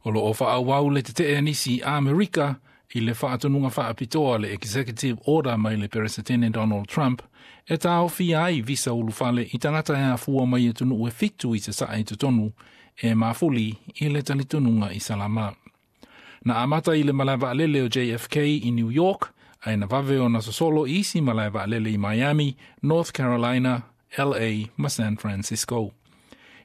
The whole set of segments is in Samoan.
O loo faaauau le tetee a nisi i Amerika i le faatonuga faapitoa le Executive Order mai le Peresetene Donald Trump e taofia ai visa ulufale i tagata e afua mai atunuu e 7 i sasae i totonu e mafuli i le talitonuga Isalama. Na amata i le malae vaalele o JFK i New York, ae na vave ona sosolo i isi malae vaalele i Miami, North Carolina, LA ma San Francisco.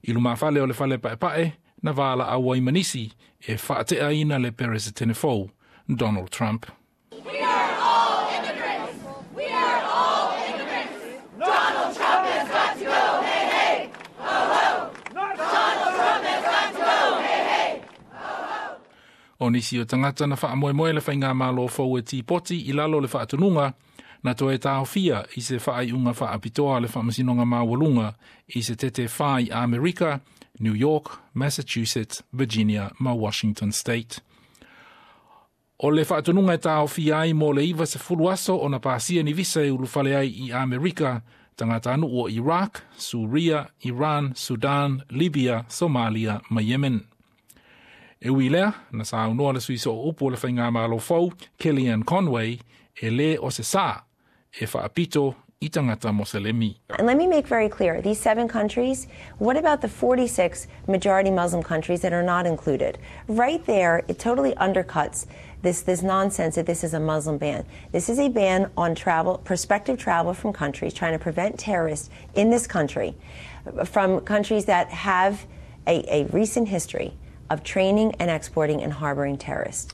I lumafale o le fale paepae, na valaau ai ma nisi e faateaina le Peresetene fou, Donald Trump. We are all immigrants. We are all immigrants. Donald Trump has got to go. Hey, hey. Ho, ho. Donald Trump has got to go. Hey, hey. O nisi o tagata na faamoemoe le faigamalo fou e tipoti i lalo o le faatonuga, na toe taofia i se faaiuga faapitoa a le Faamasinoga Maualuga i Setete 4 i Amerika, New York, Massachusetts, Virginia ma Washington State. O le faatonuga e taofia ai mo le 90 aso ona pasia ni visa e ulufale ai i Amerika, tagatanuu o Iraq, Suria, Iran, Sudan, Libya, Somalia ma Yemen. E ui i lea, na saunoa le sui sooupu o le faigamalo fou, Kellyanne Conway, e lē o se sā e faapito i tagata Moselemi. And let me make very clear, these 7 countries, what about the 46 majority Muslim countries that are not included? Right there, it totally undercuts this nonsense that this is a Muslim ban. This is a ban on travel, prospective travel from countries trying to prevent terrorists in this country, from countries that have a recent history of training and exporting and harboring terrorists.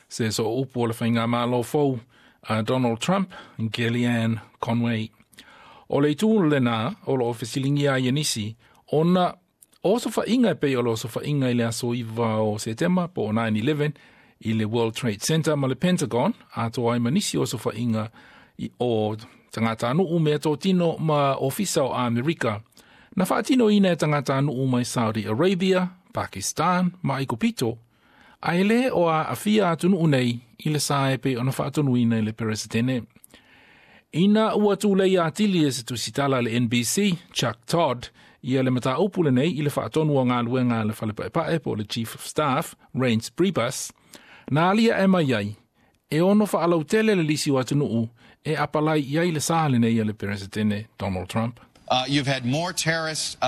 Se sooupu o le faigamalo fou a Donald Trump, Kellyanne Conway. O le itu lena o loo fesiligia ai e nisi, ona o osofaiga e pei o le osofaiga i le aso 9 o Setema po o 9/11 i le World Trade Center ma le Pentagon, atoa ai ma nisi o osofaiga o tagatanuu meatotino ma ofisa o Amerika, na faatinoina e tagatanuu mai Saudi Arabia, Pakistan ma Aikupito, ae lē o aafia atunuu nei i le sa e pei ona faatonuina i le Peresetene. Ina ua tulei atili e se tusitala a le NBC, Chuck Todd, ia le mataupu lenei i le faatonu o galuega a le Fale Paepae po o le Chief of Staff, Reince Priebus, na aliae mai ai, e ono faalautele le lisi o atunuu e apalai i ai le sa lenei a le Peresetene Donald Trump. You've had more terrorists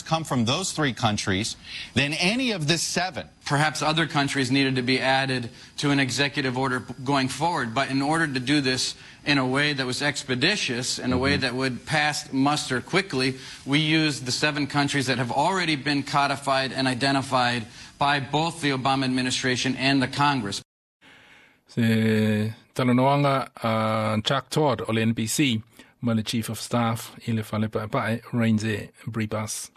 come from those 3 countries than any of the 7. Perhaps other countries needed to be added to an executive order going forward, but in order to do this in a way that was expeditious, in a way that would pass muster quickly, we used the 7 countries that have already been codified and identified by both the Obama administration and the Congress. Se talanoaga a Chuck Todd o le NBC ma le Chief of Staff i le Fale Paepae, Reince Priebus.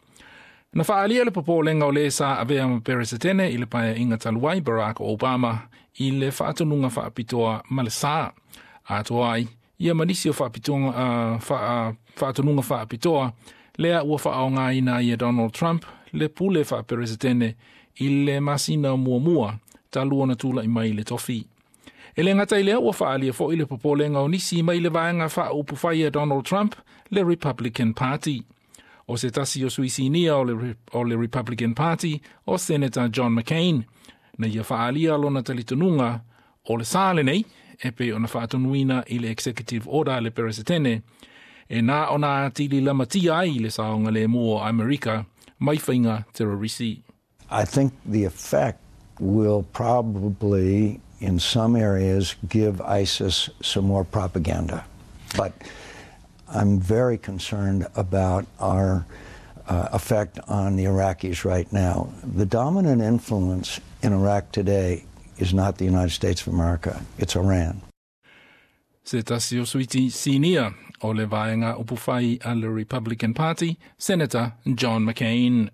Na faaalia le popolega o le sa avea ma Peresetene i le paeaiga talu ai Barack Obama i le faatonuga faapitoa ma le sa. Atoa ai ia ma nisi o faatonuga faapitoa lea ua faaaogaina ai e Donald Trump le pule faaperesetene i le masina muamua talu ona tula'i mai i le tofi. E le gata i lea ua faaalia fo'i le popolega o nisi mai le vaega faaupufai a Donald Trump, le Republican Party. O se tasi o sui sinia o le Republican Party, o Senator John McCain, na ia faaalia lona talitonuga o le sa lenei, e pei ona faatonuina i le Executive Order a le Peresetene, e na ona atili lamatia ai le saogalemu o Amerika mai faiga terrorisi. I think the effect will probably, in some areas, give ISIS some more propaganda. But I'm very concerned about our effect on the Iraqis right now. The dominant influence in Iraq today is not the United States of America, it's Iran. Se tasi o sui sinia o le vaega upufai a le Republican Party, Senator John McCain.